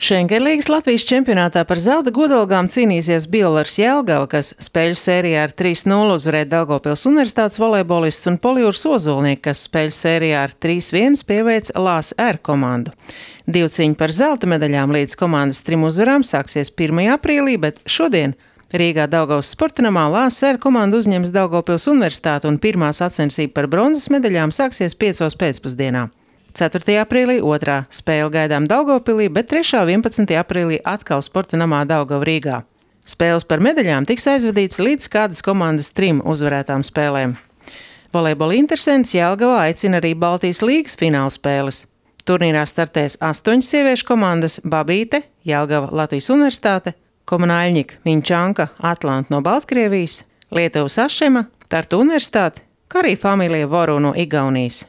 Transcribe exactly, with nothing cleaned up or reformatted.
Šengerlīgas Latvijas čempionātā par zelta godalgām cīnīsies Biolars Jelgava, kas spēļu sērijā ar trīs nulle uzvarēja Daugavpils Universitātes volejbolists, un Polijūras Ozolnieki, kas spēļu sērijā ar trīs viens pieveica Lās R komandu. Divcīņa par zelta medaļām līdz komandas trim uzvarām sāksies pirmajā aprīlī, bet šodien Rīgā Daugavas sportanamā Lās R komanda uzņems Daugavpils Universitāti, un pirmā sacensība par bronzas medaļām sāksies piecos pēcpusdienā. ceturtajā aprīlī otrā spēle gaidām Daugavpilī, bet trešā vienpadsmitajā aprīlī atkal sportanamā Daugava Rīgā. Spēles par medaļām tiks aizvadīts līdz kādas komandas trim uzvarētām spēlēm. Volejbola interesants Jelgavā aicina arī Baltijas līgas fināla spēles. Turnīrā startēs astoņas sieviešu komandas – Babīte, Jelgava Latvijas Universitāte, Komunāļņika, Viņčanka, Atlanta no Baltkrievijas, Lietuvas Ašema, Tartu Universitāte, kā arī Familija Voru no Igaunijas.